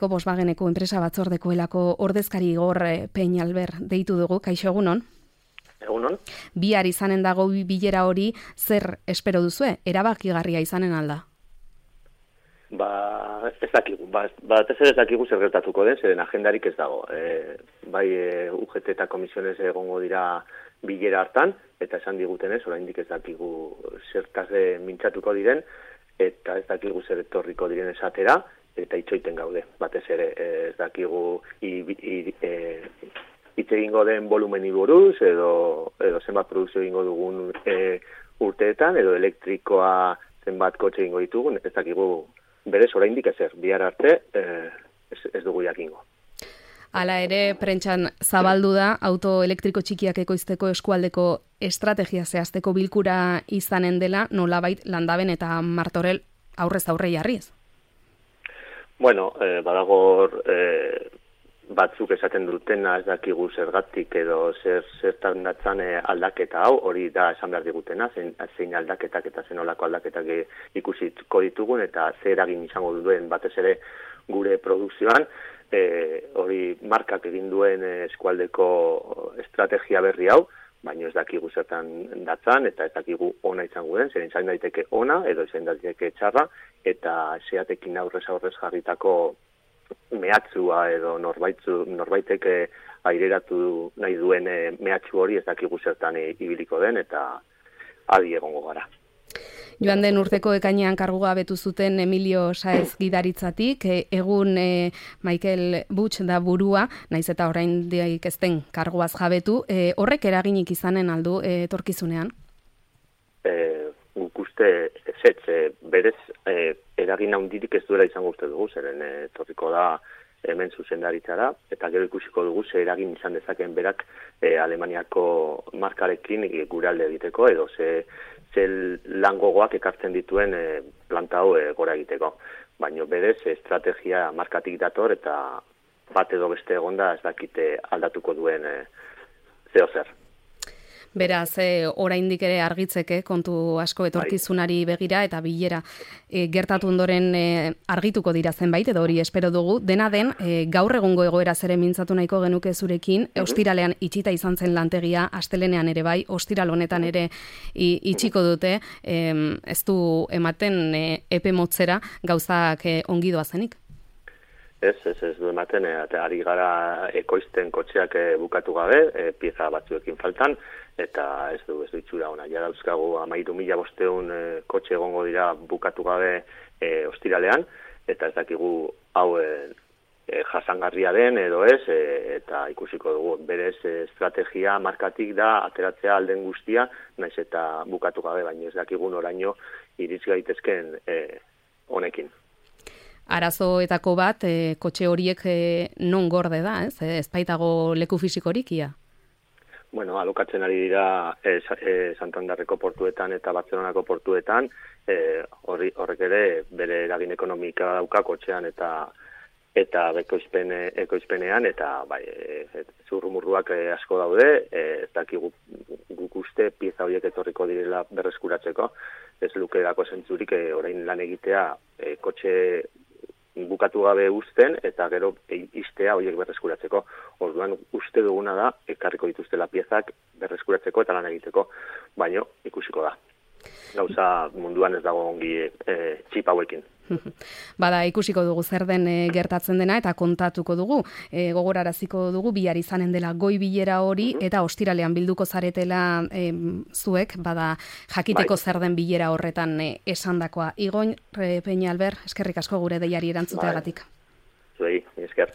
Volkswageneko enpresa batzordekoelako ordezkari Igor Peñalver deitu dugu, kaixo egunon? Egunon. Bihar izanen dago bilera hori, zer espero duzue? Erabakigarria izanen alda? Ez dakigu, batez ere ez dakigu zer gertatuko den, zeren agendarik ez dago. UGT eta komisiones egongo dira bilera hartan, eta esan digutenez, oraindik ez dakigu zertaz mintzatuko diren, eta ez dakigu zer etorriko diren esatera, eta itxoiten gaude. Batez ere ez dakigu hitz egingo den volumeni buruz, edo zenbat produkzio egingo dugun urteetan, edo elektrikoa zenbat kotxe egingo ditugun, ez dakigu berez oraindik ezer, bihar arte ez dugu jakingo. Hala ere, prentxan zabaldu da, auto elektriko txikiak ekoizteko eskualdeko estrategia zehazteko bilkura izanen dela, nolabait Landaben eta Martorell aurrez aurre jarriz? Bueno, badagor batzuk esaten dutena ez dakigu zergatik edo zertan datzan aldaketa hau, hori da esan behar digutena, zein aldaketak eta zenolako aldaketak ikusiko ditugun eta zer eragin izango duen batez ere gure produkzioan, hori markak egin duen eskualdeko estrategia berri hau, baina ez dakigu zertan datzan eta ez dakigu ona izango den, zer izan daiteke ona edo izan daiteke txarra, eta zeatekin aurrez jarritako mehatzua edo norbaitek aireratu nahi duen mehatxu hori ez dakigu zertan ibiliko den eta adi egongo gara. Joan den urteko ekainean kargua betu zuten Emilio Saez gidaritzatik, egun Michael Butch da burua, naiz eta oraindik ez den karguaz jabetu, horrek eraginik izanen aldu etorkizunean? Guk uste ezetz, berez eragin handirik ez duela izango uste dugu, zeren etorriko da hemen zuzendaritzara, eta gero ikusiko dugu ze eragin izan dezaken berak Alemaniako markarekin gure alde egiteko, edo ze langogoak ekartzen dituen planta hau gora egiteko. Baina berez estrategia markatik dator eta bat edo beste egonda ez dakite aldatuko duen zeo zer. Beraz, oraindik ere argitzeke kontu asko etorkizunari begira eta bilera gertatu ondoren argituko dira zenbait, edo hori espero dugu. Dena den, gaur egungo egoera zere mintzatu nahiko genuke zurekin, ostiralean itxita izan zen lantegia, astelenean ere bai, ostiral honetan ere itxiko dute, ez du ematen epe motzera gauzak ongi doazenik? Ez du ematen, eta ari gara ekoizten kotxeak bukatu gabe, pieza batzuekin faltan, eta ez du itxura ona. Ja dauzkagu 13.500 kotxe egongo dira bukatu gabe ostiralean, eta ez dakigu hau jasangarria den edo ez, eta ikusiko dugu. Berez estrategia markatik da ateratzea alden guztia, naiz eta bukatu gabe, baina ez dakigun oraino iritz gaitezken honekin. Arazoetako bat, kotxe horiek non gorde da, ez? Ez baitago leku fisikorik, ia? Bueno, alokatzen ari dira Santanderreko portuetan eta Bartzelonako portuetan, horrek ere bere eragin ekonomika dauka kotxean eta ekoizpenean, eta bai, zurrumurruak asko daude, ez dakigu guk uste pieza horiek etorriko direla berreskuratzeko, ez lukerako zentzurik orain lan egitea kotxe bukatu gabe uzten, eta gero istea horiek berreskuratzeko. Orduan uste duguna da, ekarriko dituztela piezak berreskuratzeko eta lan egiteko, baino ikusiko da. Gauza munduan ez dago ongi txip hauekin. Bada, ikusiko dugu zer den gertatzen dena eta kontatuko dugu. Gogoraraziko dugu bihar izanen dela goi bilera hori eta ostiralean bilduko zaretela zuek, bada jakiteko zer den bilera horretan esandakoa. Igor Peñalver, eskerrik asko gure deiari erantzuteagatik. Zuei, esker.